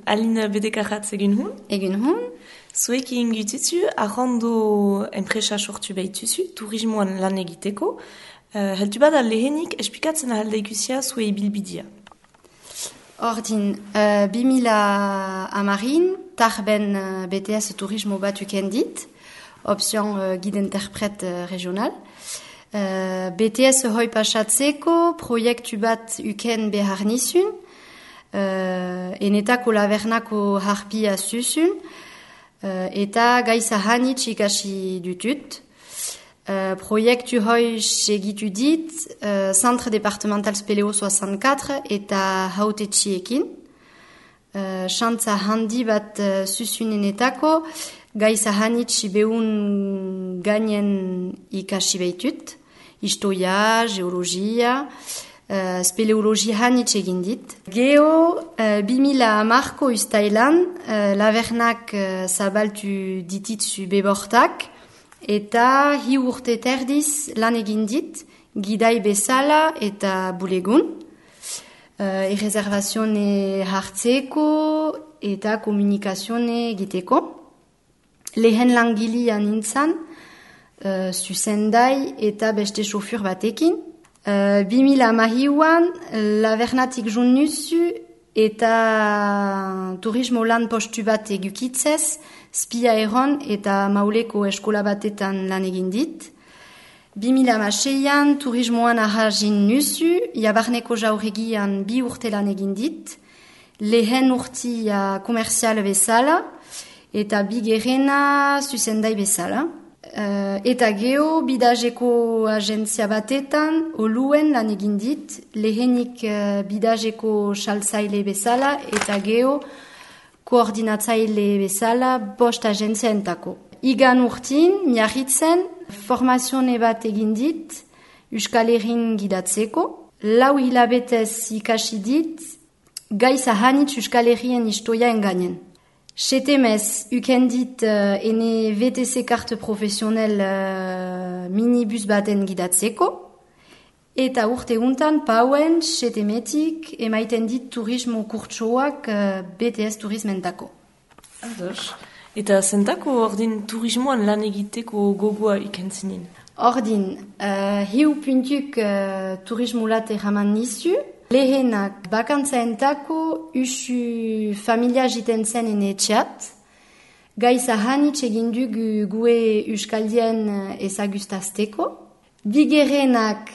Aline bedekaratz egin hun? Egin hun. Zuek ingituzu, arrando enpresa sortu behituzu, turismoan lan egiteko. Heltu bada lehenik, espikatzen ahalde ikusia zue ibilbidia. Ordin, 2010 tarben BTS turismo bat ukendit, option guide interprète régional. BTS hoi pasatzeko proiektu bat uken behar nizun, enetako lavernako harpia zuzun, eta gaiza hanitz ikasi dutut. Proiektu hoi segitu dit, Centre Départemental Speleo 64 eta hautetxiekin. Xantza handi bat zuzunenetako, gaiza hanitz behun gainen ikasi behitut. Historia, geologia, speleologia hanitz egin dit. Geo, 2010ko ustailan, lavernak zabaltu dititzu bebortak, eta hi urte terdiz lan egin dit, gidai bezala eta bulegun. Erreservazione hartzeko eta komunikazione egiteko. Lehen langilia nintzen, zuzendai eta beste sofur batekin. 2010an, lavernatik jun nuzu eta turismo lan postu bat egukitzez, spia erron eta mauleko eskola batetan lan egin dit. 2006an, turismoan ahazin nuzu, jabarneko jauregian 2 urte lan egin dit. Lehen urtia komerzial bezala eta bigerena zuzendai bezala. Eta geo, bidazeko agentzia batetan, oluen lan egin dit, lehenik bidazeko saltzaile bezala, eta geo, koordinatzaile bezala, 5 agentzia entako. Igan urtin, miarritzen, formazione bat egin dit, Euskal Herrin gidatzeko, 4 hilabetez ikasi dit, gaiza hanitz Euskal Herrien historia engainen. Setemez, ukendit ene VTC karte profesionel minibus baten gidatzeko, eta urte untan pauen setemetik emaiten dit turismo kurtsoak BTS turismentako. Ados. Eta zentako ordin turismoan lan egiteko gogoa ikentzinin? Ordin, hiu puntuk turismo late raman nizu, lehenak bakantzaentako usu familia jiten zen enetxat, gaiza hanitz egin dugu gue euskaldien ezagustazteko. Bigerenak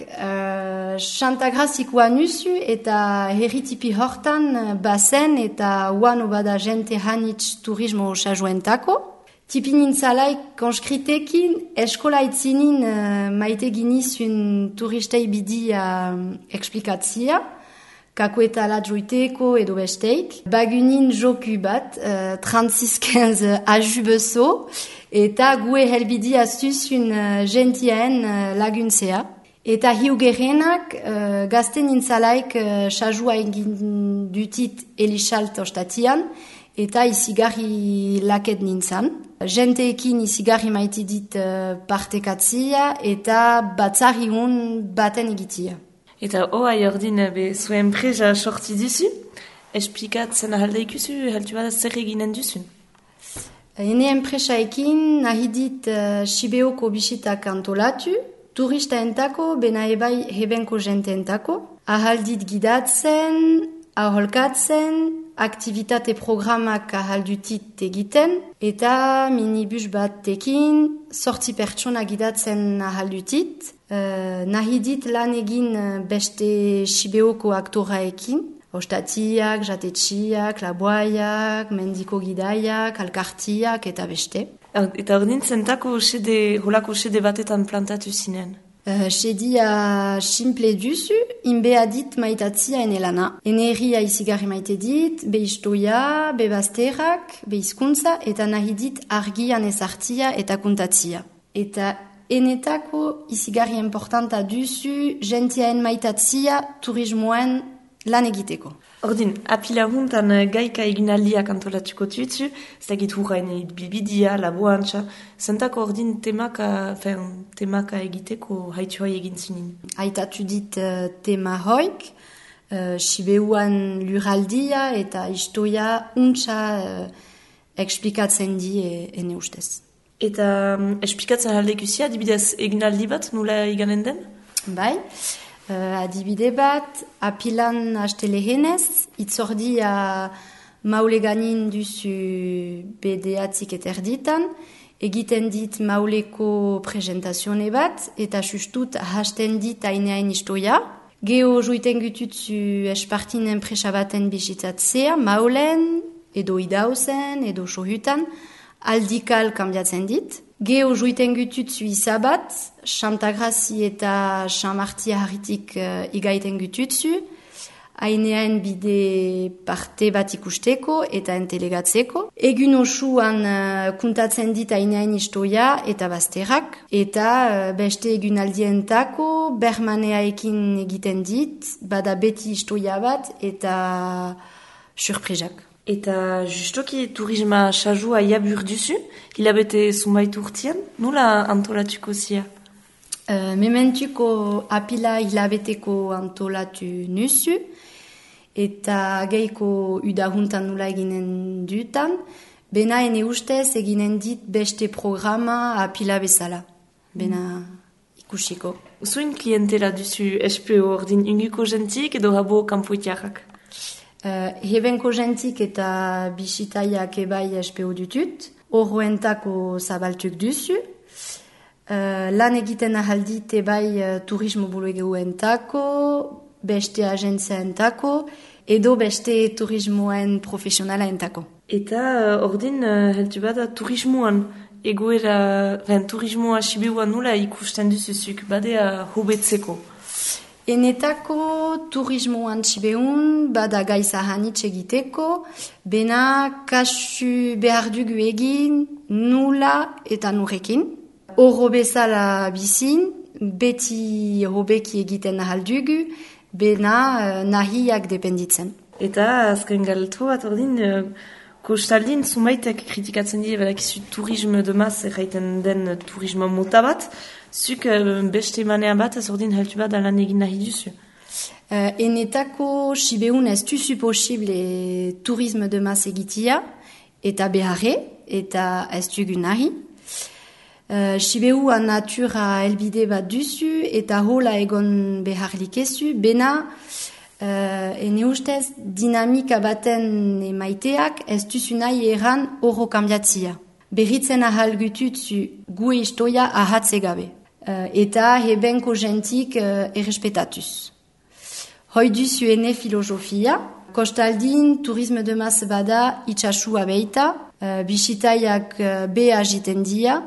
xantagrazikoa nuzu eta herritipi hortan bazen eta uan obada jente hanitz turismo sajoentako. Tipinin zalaik konskritekin eskola itzinin maite ginizun turistei bidia eksplikatzia, kako eta ladjoiteko edo besteik. Bagunin joku bat, 36-15 aju bezo, eta gue helbidia zuzun gentien laguntzea. Eta hiugerenak gazten nintzalaik sajua egin dutit elixalt ostatian, eta izigarri laket nintzan. Genteekin izigarri maite dit partekatzia eta batzari hon baten egitia. Eta hoa jordin zuen presa sorti duzu, esplikatzen ahalde ikusu, heltu bada zer eginen duzun? Ene enpresaekin nahi dit Sibeoko bisitak antolatu, turista entako, bena ebai hebenko jente entako, ahaldit gidatzen, aholkatzen, aktivitate programak ahaldutit egiten, eta minibus batekin, 8 pertsona gidatzen ahaldutit, nahi dit lan egin beste Sibeoko aktoraekin, ostatiak, jatetxiak, laboaiak, mendiko gidaiak, alkartiak eta beste. Eta ordin zentako holako sede batetan plantatu zinen? Sedia simple duzu, inbea dit maitatzia enelana. Eneria izigarri maite dit, be istoia, be bazterrak, be hizkuntza, eta nahi dit argian ezartzia eta kuntatzia. Eta enetako izigarri importanta duzu, gentiaen maitatzia turismoen lan egiteko. Ordin, apila huntan gaika eginaldiak antolatuko tutsu, zagit hurrain bilbidia, laboantxa, zentako ordin temaka egiteko haitu hoi egin zinin? Haitatu dit tema hoik, Sibeuan lurraldia eta historia untsa explikatzen di ene ustez. Eta esplikatzen aldekusia, adibidez eginaldi bat, nula iganen den? Bai, adibide bat, apilan haste lehenez, itzordia maule ganin duzu bedeatzik eta erditan, egiten dit mauleko presentazione bat, eta sustut hasten dit aineain historia. Geo joiten gututzu espartin enpresa baten bizitatzea, maulen, edo idauzen, edo sohutan, aldikal kambiatzen dit. Geo joiten gututzu izabat, Chantagrazi eta Chamartia harritik igaiten gututzu, ainean bide parte bat ikusteko eta entelegatzeko. Egun osuan kuntatzen dit ainean historia eta bazterrak, eta beste egunaldientako bermaneaekin egiten dit, bada beti historia bat eta surprizak. Eta justoki turisma sajua jabur duzu, hilabete zunbait urtian, nula antolatuko zia? Mementuko apila hilabeteko antolatu nuzu, eta geiko udahuntan nula eginen dutan, bena ene ustez eginen dit beste programa apila bezala. Bena ikusiko. Usuin klientela duzu SPO ordin inguko jentik edo habo kanpoitiarrak? Hebenko jentik eta bisitaiak ebai SPO dutut, horroentako zabaltuk duzu, lan egiten ahaldit ebai turismo bulegoentako, beste agentziaentako, edo beste turismoen profesionalaentako. Eta ordin heltu bada turismoan, egoera, turismoa Sibeuan nula ikusten duzuzuk, badea hobetzeko? Enetako turismoan Sibeun bada gaiza hanitz egiteko, bena kasu behar dugu egin nula eta nurekin. Horro bezala bizin, beti hobeki egiten ahaldugu, bena nahiak dependitzen. Eta azken galtu bat ordin, kostaldin zumaitek kritikatzen dira badakizu turisme de maz erraiten den turismo mota bat, zuk beste manean bat ez ordin heltu bat lan egin nahi duzu. Enetako Sibeun ez duzu posible turisme de maz egitia, eta beharre, eta ez dugu nahi. Sibeuan natura elbide bat duzu eta hola egon beharlik ezu, bena ene ustez dinamika baten emaiteak ez duzu nahi erran horro kambiatzia. Berritzen ahal gututzu gu historia ahatze gabe. Eta hebenko jentik errespetatuz. Hoi duzu ene filosofia, kostaldin turisme de maz bada itxasua beita, bisitaiak be agiten dia,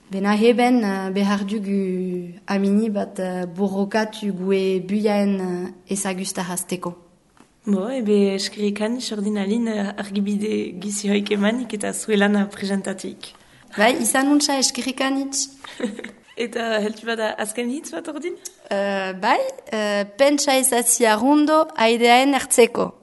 bena heben behar dugu amini bat borrokatu gue buiaen ezagustahazteko. Ebe eskerikan isordinalin argibide gizi hoik emanik eta zuelan presentatik. Bai, izan untsa eskerikanitz. Eta heltu bada azken hitz bat ordin? Bai, pentsa ezatzia rundo aideaen ertzeko.